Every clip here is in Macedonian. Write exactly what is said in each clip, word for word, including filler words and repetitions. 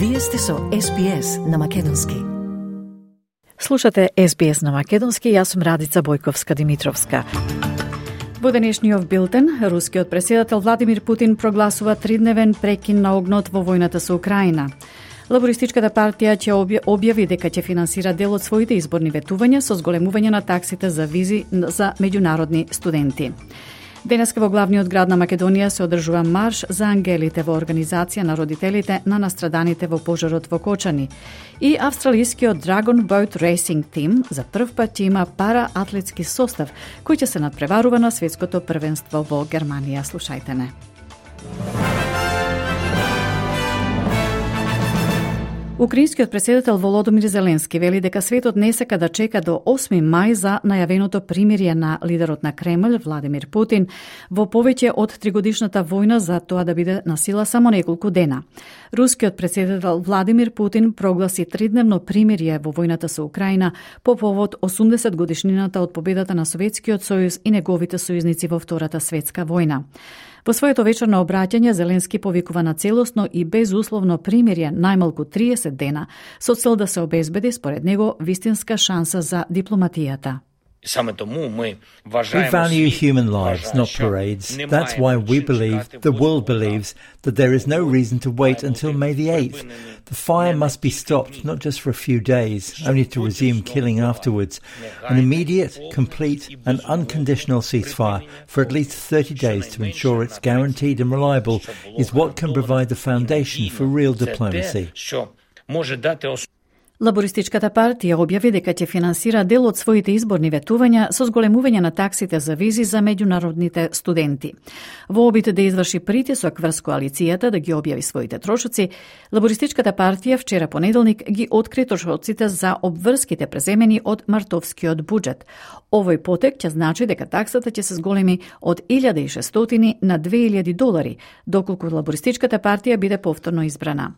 Вие сте со Ес Би Ес на Македонски. Слушате Ес Би Ес на Македонски, јас сум Радица Бојковска-Димитровска. Во денешниот билтен, рускиот претседател Владимир Путин прогласува тридневен прекин на огнот во војната со Украина. Лабористичката партија ќе објави дека ќе финансира дел од своите изборни ветувања со зголемување на таксите за визи за меѓународни студенти. Денеска во главниот град на Македонија се одржува марш за ангелите во организација на родителите на настраданите во пожарот во Кочани. И австралискиот Dragon Boat Racing Team за прв пат ќе има параатлетски состав кој ќе се надпреварува на светското првенство во Германија. Слушајте не. Украинскиот претседател Володомир Зеленски вели дека светот не сека да чека до осми мај за најавеното примирие на лидерот на Кремљ Владимир Путин во повеќе од тригодишната војна за тоа да биде на сила само неколку дена. Рускиот претседател Владимир Путин прогласи тридневно примирие во војната со Украина по повод осумдесет годишнината од победата на Советскиот сојуз и неговите сојузници во Втората светска војна. Во своето вечерно обраќање Зеленски повикува на целосно и безусловно примирие најмалку триесет дена со цел да се обезбеди според него вистинска шанса за дипломатијата. We value human lives, not parades. That's why we believe, the world believes, that there is no reason to wait until May the eighth. The fire must be stopped, not just for a few days, only to resume killing afterwards. An immediate, complete and unconditional ceasefire for at least thirty days to ensure it's guaranteed and reliable is what can provide the foundation for real diplomacy. Лабористичката партија објави дека ќе финансира дел од своите изборни ветувања со зголемување на таксите за визи за меѓународните студенти. Во обид да изврши притисок врз коалицијата да ги објави своите трошоци, Лабористичката партија вчера понеделник ги откри трошоците за обврските преземени од мартовскиот буџет. Овој потек ќе значи дека таксата ќе се зголеми од илјада и шестстотини на две илјади долари, доколку Лабористичката партија биде повторно избрана.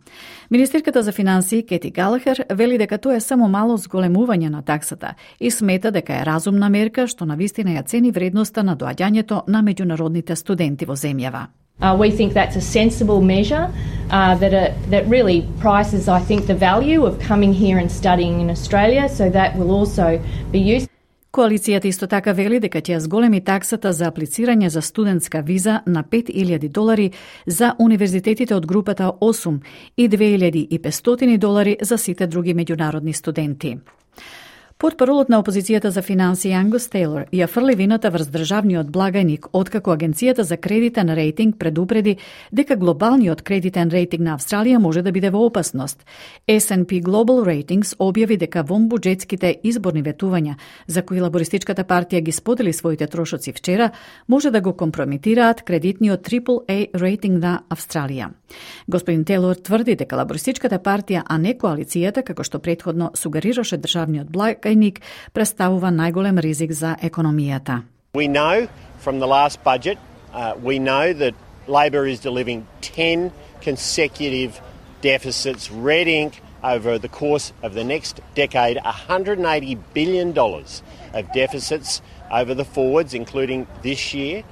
Министерката за финансии Кети Галахер вели дека тоа е само мало зголемување на таксата и смета дека е разумна мерка што навистина ја цени вредноста на доаѓањето на меѓународните студенти во земјава. Uh, we think that's a sensible measure uh, that uh, that really prices, I think, the value of coming here and studying in Australia, so that will also be used. Коалицијата исто така вели дека ќе зголеми таксата за аплицирање за студентска виза на пет илјади долари за универзитетите од групата осум и две илјади и петстотини долари за сите други меѓународни студенти. Портпаролот на опозицијата за финансии Ангус Тейлор ја фрли вината врз државниот благајник, откако Агенцијата за кредитен рейтинг предупреди дека глобалниот кредитен рейтинг на Австралија може да биде во опасност. Ес енд Пи Global Ratings објави дека вонбуџетските изборни ветувања, за кои Лабористичката партија ги сподели своите трошоци вчера, може да го компрометираат кредитниот трипл еј рейтинг на Австралија. Господин Тейлор тврди дека Лабористичката партија, а не коалицијата, како што претходно сугерираше државниот благајник, представува најголем ризик за економијата. We know from the last budget, uh, we know that Labor is delivering ten consecutive deficits, red ink over the course of the next decade, one hundred eighty billion dollars of deficits over the forwards, including this year.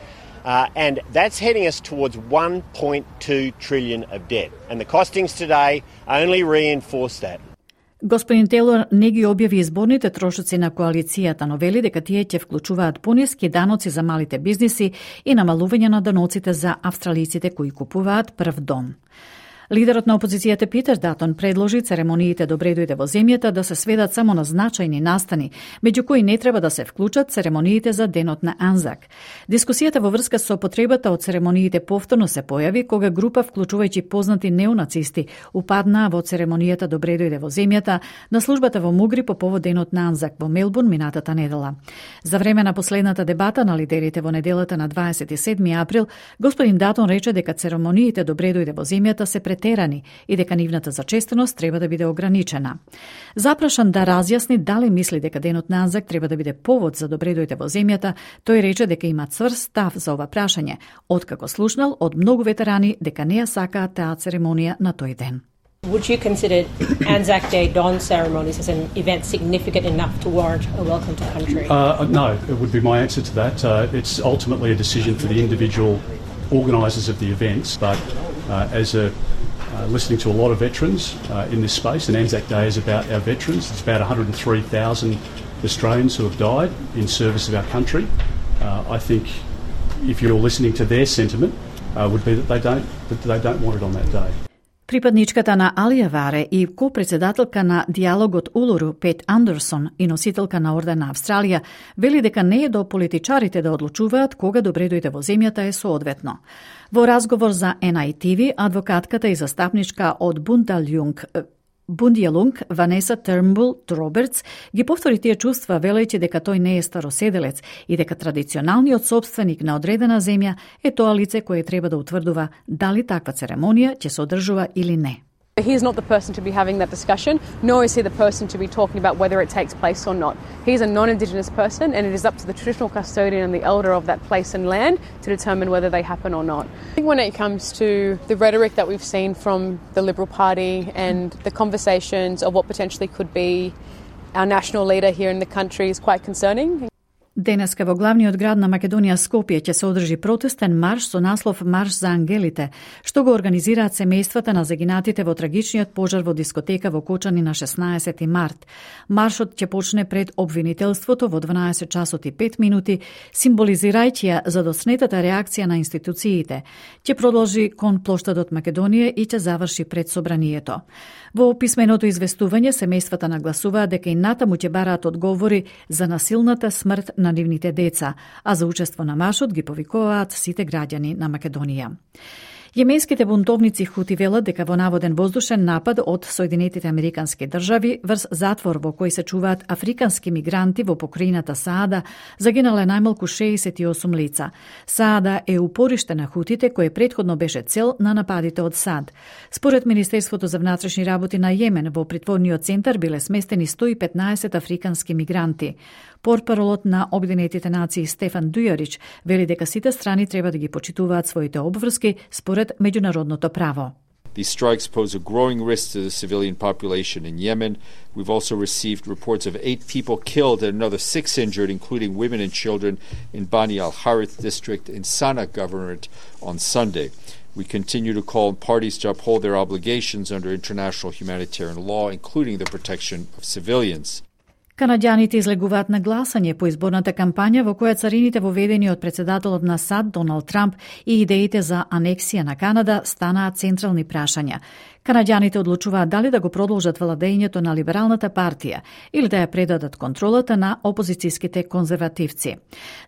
Uh, and that's heading us towards one point two trillion of debt. And the costings today only reinforce that. Господин Тейлор не ги објави изборните трошоци на коалицијата, но вели дека тие ќе вклучуваат пониски даноци за малите бизниси и намалување на даноците за австралиците кои купуваат прв дом. Лидерот на опозицијата Питер Датон предложи церемониите добре дојде во земјата да се сведат само на значајни настани, меѓу кои не треба да се вклучат церемониите за денот на Анзак. Дискусијата во врска со потребата од церемониите повторно се појави кога група вклучувајќи познати неонацисти упаднаа во церемонијата добре дојде во земјата на службата во Мугри по повод денот на Анзак во Мелбурн минатата недела. За време на последната дебата на лидерите во неделата на дваесет и седми април, господин Датон рече дека церемониите добре дојде во земјата се претерани и дека нивната зачестеност треба да биде ограничена. Запрашан да разјасни дали мисли дека денот на Анзак треба да биде повод за добре дојде во земјата, тој рече дека има цврст став за ова прашање, откако слушнал од многу ветерани дека не ја сакаат таа церемонија на тој ден. Would you consider Anzac Day dawn ceremonies as an event significant enough to warrant a welcome to country? Uh, no, it would be my answer to that. Uh, it's ultimately a decision for the individual organisers of the events, but uh, as a uh, listening to a lot of veterans uh, in this space, and Anzac Day is about our veterans. It's about one hundred three thousand Australians who have died in service of our country. Uh, I think if you're listening to their sentiment, uh, would be that they don't that they don't want it on that day. Припадничката на Алија Варе и ко-председателка на диалогот Улуру Пет Андерсон и носителка на Орден на Австралија вели дека не е до политичарите да одлучуваат кога добре дојде во земјата е соодветно. Во разговор за Ен Ај Ти Ви, адвокатката и застапничка од Бундалјунг Бундијалунг, Ванеса Тернбул Робертс, ги повтори тие чувства, велејќи дека тој не е староседелец и дека традиционалниот собственик на одредена земја е тоа лице кое треба да утврдува дали таква церемонија ќе се одржува или не. He's not the person to be having that discussion, nor is he the person to be talking about whether it takes place or not. He's a non-Indigenous person, and it is up to the traditional custodian and the elder of that place and land to determine whether they happen or not. I think when it comes to the rhetoric that we've seen from the Liberal Party and the conversations of what potentially could be our national leader here in the country is quite concerning. Денеска во главниот град на Македонија Скопје ќе се одржи протестен марш со наслов Марш за ангелите, што го организираат семејствата на загинатите во трагичниот пожар во дискотека во Кочани на шеснаесети март. Маршот ќе почне пред обвинителството во дванаесет часот и пет минути, символизирајќи ја задоснетата реакција на институциите. Ќе продолжи кон плоштадот Македонија и ќе заврши пред собранието. Во писменото известување семејствата нагласуваат дека и натаму ќе бараат одговори за насилната смрт на нивните деца, а за учество на маршот ги повикуваат сите граѓани на Македонија. Јеменските бунтовници Хути велат дека во наводен воздушен напад од Соединетите Американски држави врз затвор во кој се чуваат африкански мигранти во покрајината Саада загинале најмалку шеесет и осум лица. Саада е упориште на Хутите кој претходно беше цел на нападите од САД. Според Министерството за внатрешни работи на Јемен, во притворниот центар биле сместени сто и петнаесет африкански мигранти. Портпаролот на Обединетите нации Стефан Дујарич вели дека сите страни треба да ги почитуваат своите обврски според меѓународното право. These strikes pose a growing risk to the civilian population in Yemen. We've also received reports of eight people killed and another six injured, including women and children, in Bani al-Harith district in Sana'a governorate on Sunday. We continue to call on parties to uphold their obligations under international humanitarian law, including the protection of civilians. Канаѓаните излегуваат на гласање по изборната кампања во која царините воведени од председателот на САД Доналд Трамп и идеите за анексија на Канада станаат централни прашања. Канаѓаните одлучуваат дали да го продолжат владењето на либералната партија или да ја предадат контролата на опозицијските конзервативци.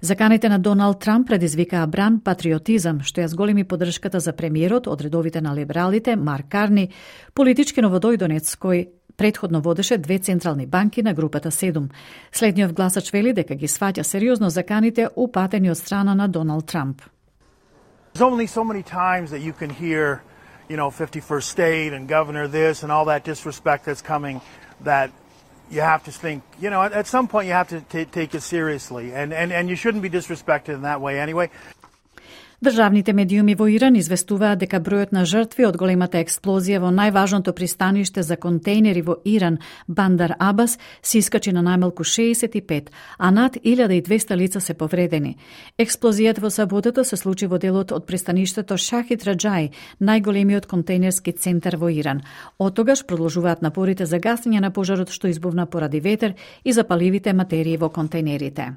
Заканите на Доналд Трамп предизвикаа бран патриотизам, што ја зголеми поддршката за премиерот од редовите на либералите Марк Карни, политички новодојдонец кој предходно водеше две централни банки на групата седум. Следниот гласач вели дека ги сваќа сериозно заканите упатени од страна на Доналд Трамп. There's only so many times that you can hear, you know, fifty-first state and governor this and all that disrespect that's coming, that you have to think, you know, at some point you have to t- take it seriously, and, and, and you shouldn't be disrespected in that way anyway. Државните медиуми во Иран известуваат дека бројот на жртви од големата експлозија во најважното пристаниште за контејнери во Иран, Бандар Абас, се искачи на најмалку шеесет и пет, а над илјада и двесте лица се повредени. Експлозијата во саботата се случи во делот од пристаништето Шахид Раджај, најголемиот контејнерски центар во Иран. Од тогаш продолжуваат напорите за гасење на пожарот што избувна поради ветер и запаливите материи во контејнерите.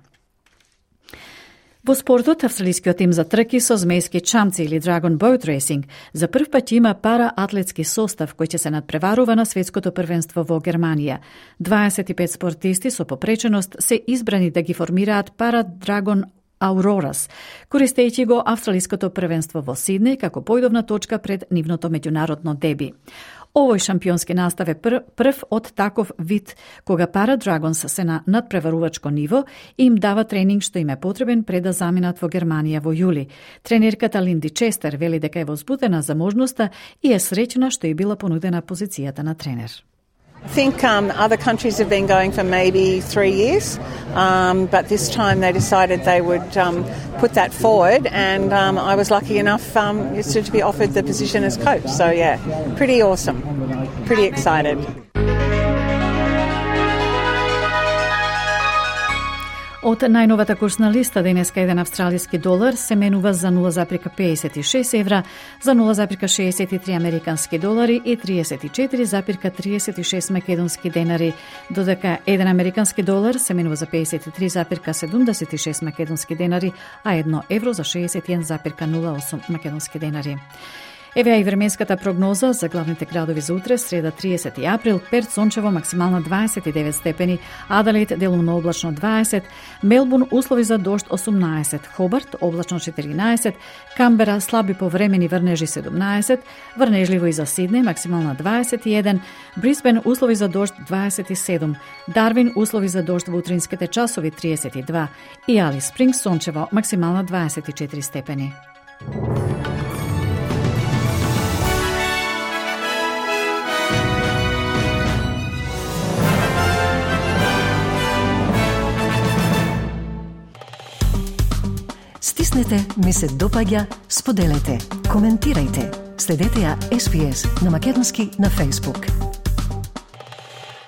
Во спортот, австралискиот тим за трки со змејски чамци или Dragon Boat Racing за прв пат има пара-атлетски состав кој ќе се надпреварува на светското првенство во Германија. дваесет и пет спортисти со попреченост се избрани да ги формираат пара-Dragon Auroras, користејќи го австралиското првенство во Сиднеј како појдовна точка пред нивното меѓународно деби. Овој шампионски настав е пр, прв од таков вид, кога Para Dragons се на надпреварувачко ниво и им дава тренинг што им е потребен пред да заминат во Германија во јули. Тренерката Линди Честер вели дека е возбудена за можноста и е среќна што е била понудена позицијата на тренер. I think um, other countries have been going for maybe three years, um, but this time they decided they would um, put that forward, and um, I was lucky enough um, to be offered the position as coach. So yeah, pretty awesome, pretty excited. Од најновата курсна листа денеска еден австралиски долар се менува за нула запирка педесет и шест евра, за нула запирка шеесет и три американски долари и триесет и четири запирка триесет и шест македонски денари, додека еден американски долар се менува за педесет и три запирка седумдесет и шест македонски денари, а едно евро за шеесет и еден запирка нула осум македонски денари. Еве и временската прогноза за главните градови за утре, среда триесети април: Перт сончево, максимално дваесет и девет степени, Аделаид делумно облачно дваесет, Мелбурн услови за дожд осумнаесет, Хобарт облачно четиринаесет, Камбера слаби повремени врнежи седумнаесет, врнежливо и за Сиднеј максимално дваесет и еден, Брисбен услови за дожд дваесет и седум, Дарвин услови за дожд во утринските часови триесет и два и Алис Спрингс сончево, максимално дваесет и четири степени. Стиснете, ми се допаѓа, споделете, коментирајте. Следете ја Ес Би Ес на македонски на Facebook.